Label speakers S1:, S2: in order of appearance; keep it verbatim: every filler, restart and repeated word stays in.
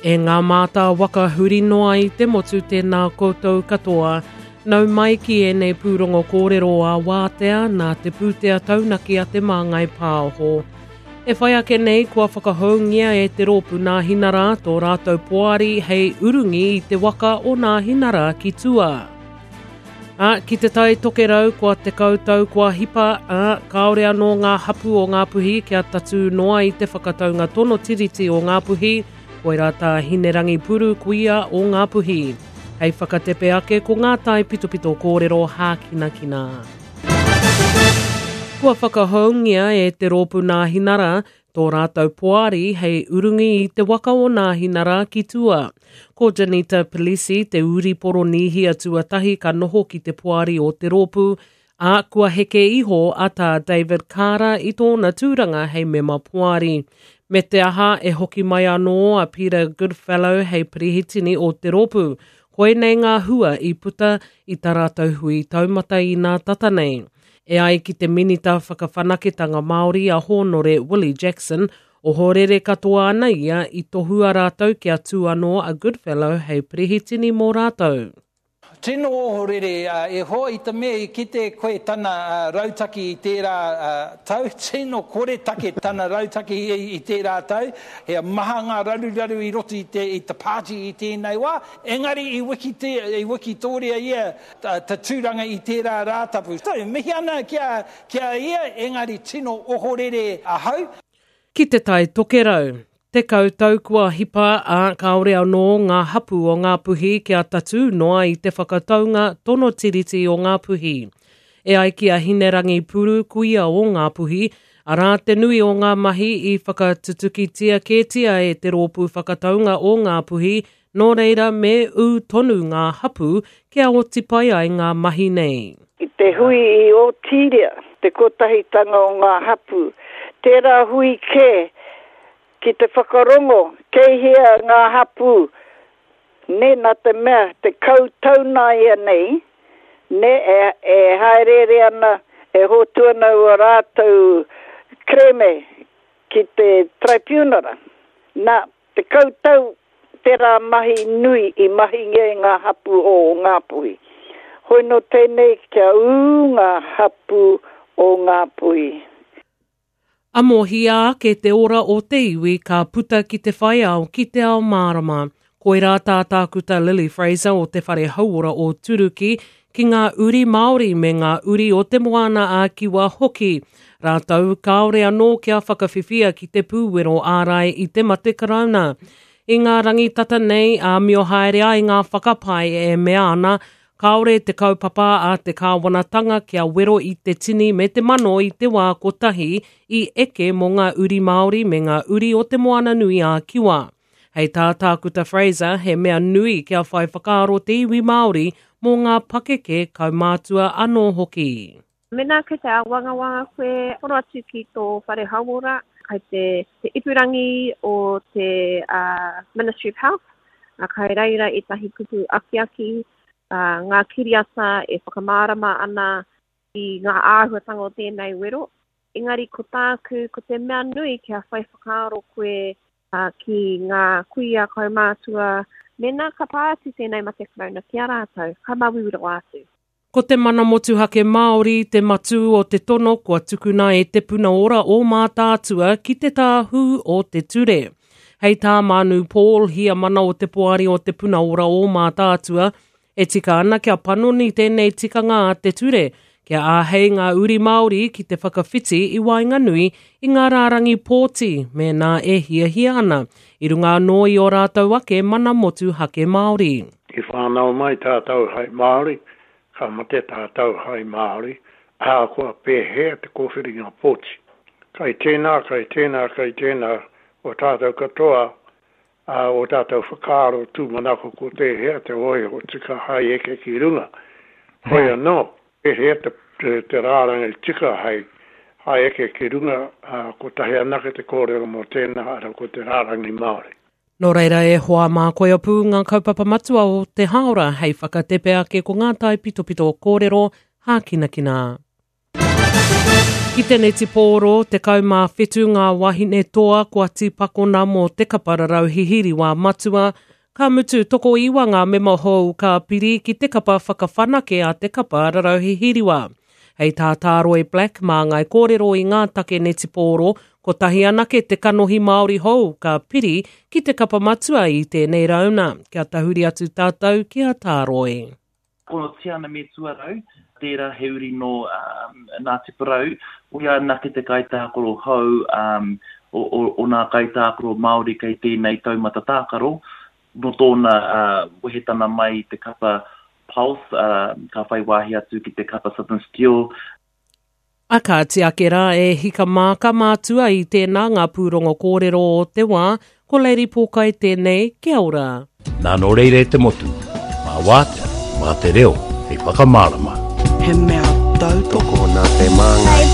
S1: E ngā mātā waka huri noa i te motu tēnā koutou katoa. Nau mai ki ēnei pūrongo kōrero a wātea nā te pūtea taunaki a Te Māngai Pāho. E whai ake nei kua whakahoungia e te rōpū Nāhinara tō rātou poari hei urungi i te waka o Nāhinara ki tua. Ā, ki te tai tokerau kua tekau tau kua hipa, ā, kāore anō ngā hapū o Ngāpuhi kia tatū noa i te whakataunga tono tiriti o Ngāpuhi, koirā tā Hinerangi Puru kuia o Ngāpuhi. Hei whakatepe ake ko ngā tai pitopito kōrero hākinakina. Kua whakahoungia e te rōpū Nāhinara tō rātou poari hei urungi i te waka o Nāhinara ki tua. Ko Janita Pelisi te uri Poronīhia tuatahi ka noho ki te poari o te rōpū, ā, kua heke iho a tā David Kara i tōna tūranga hei mema poari. Me te aha e hoki mai anō a Peter Goodfellow hei pirihitini o te rōpū. Koinei ngā hua i puta i tā rātou hui taumata i nā tata nei. E ai ki te minita whakawhanaketanga Māori a Hōnore Willie Jackson, ohorere katoa ana ia i tohua rātou kia tū anō a Goodfellow hei pirihitini mō rātou.
S2: Tino ohorere e hoa i te mea i kite koe tana rautaki i tērā tau, tino koretake tana rautaki i tērā tau, he maha ngā raruraru i roto i te, i te pāti i tēnei wā, engari i, wikite, i wikitoria ia ta tūranga i tērā rātapu. So, mihi ana ki a, ki a ia, engari tino ohorere ahau.
S1: Ki te tai tokerau. Tekau tau kua hipa ā kāore anō ngā hapū o Ngāpuhi kia tatū noa i te whakataunga tono tiriti o Ngāpuhi. E ai ki a Hinerangi Puru kuia o Ngāpuhi, arā te nui o ngā mahi i whakatutukitia kētia e te rōpū whakataunga o Ngāpuhi, nō reira me ū tonu ngā hapū kia oti pai ai ngā mahi nei.
S3: I te hui i Ōtīria, te kotahitanga o ngā hapū, tērā hui kē ki te whakarongo, kei hea ngā hapū, ne, nā te mea, tekau tau nāianei, ne, e, e haereere ana, e hotu ana ua rātou kerēme ki te traipiunara. Nā, tekau tau tērā mahi nui i mahingia e ngā hapū o Ngāpuhi. Hoi nō tēnei kia ū ngā hapū o Ngāpuhi.
S1: Amohia ake te ora o te iwi ka puta ki te whai ao ki te ao mārama. Koirā tā Tākuta Lily Fraser o te Whare Hauora o Turuki ki ngā uri Māori me ngā uri o te Moana a Kiwa hoki. Rātou kāore anō kia whakawhiwhia ki te pūwero ārai i te mate karauna. I ngā rangi tata nei āmio haere ai ngā whakapae e mea ana kāore te kaupapa a te kāwanatanga kia wero i te tini me te mano i te wā kotahi i eke mō ngā uri Māori me ngā uri o te Moana Nui a Kiwa. Hei tā Tākuta Fraser, he mea nui kia whai whakaaro te iwi Māori mō ngā pakeke kaumātua anō hoki.
S4: Mēnā kei te āwangawanga koe, hono atu ki tō whare hauora, kai te, te ipurangi o te uh, Ministry of Health, uh, kai reira ētahi kupu akiaki, uh, ngā kiriata e whakamārama ana i ngā āhuatanga o tēnei wero. Engari ko tāku, ko te mea nui kia whai whakaaro koe uh, ki ngā kuia kaumātua, mēnā ka pā atu tēnei mate karauna ki a rātou, ka māuiui rawa atu.
S1: Ko te mana motuhake Māori te matū o te tono kua tukuna e te puna ora o Mātaatua ki te tāhū o te ture. Hei tā Manu Paul, heamana o te poari o te puna ora o Mātaatua, e tika ana kia panoni tēnei tikanga a te ture, kia āhei ngā uri Māori ki te whakawhiti i waenganui i ngā rārangi pōti mēnā e hiahia ana, i runga anō i ō rātou ake mana motuhake Māori.
S5: I whānau mai tātou hai Māori, ka mate tātou hai Māori, ahakoa pēhea te kōwhiringa pōti. Kai tēnā, kai tēnā, kai tēnā, o tātou katoa, ā, o tātou whakaaro tūmanako ko tēhea te hōiho tika hai eke ki runga. Hoi anō, pēhea te, te, te rārangi tika hai, hai eke ki runga, ā, kotahi anake te kōrero mō tēnā, arā ko te rārangi Māori.
S1: Nō reira e hoa mā koia pū ngā kaupapa matua o te hāora hei whakatepe ake ko ngā taipitopito kōrero hākinakina. Ki te netipōro, tekau mā whitu ngā wahine toa kua tīpakona mō te kapa rarau hihiriwā matua, ka mutu tokoiwa ngā mema hou ka piri ki te kapa whakawhanake a te kapa rarau hihiriwā. Hei tā Tāroi Black mā ngai kōrero i ngā take netipōro, kotahi anake te kanohi Māori hou ka piri ki te kapa matua i tēnei rauna. Kia tahuri atu tātou ki a Tāroi.
S6: Ko Tiana me Tuarau, tērā he uri no um, Ngāti Porou, o ia anake te kaitākaro hou um, o, o, o nā kaitākaro Māori kei tēnei taumata tākaro, no tōna uh, wehetana mai te kapa Pulse, uh, ka whai wāhi atu ki te kapa Southern Steel.
S1: A kāti ake rā e hika māka mātua i tēnā ngā pūrongo kōrero o te wā, ko Lady Pōkai tēnei, kia ora.
S7: Nā nō reire te motu, mā wātea, mā te reo, hei whakamārama.
S8: He mea tautoko
S9: nā te māngai.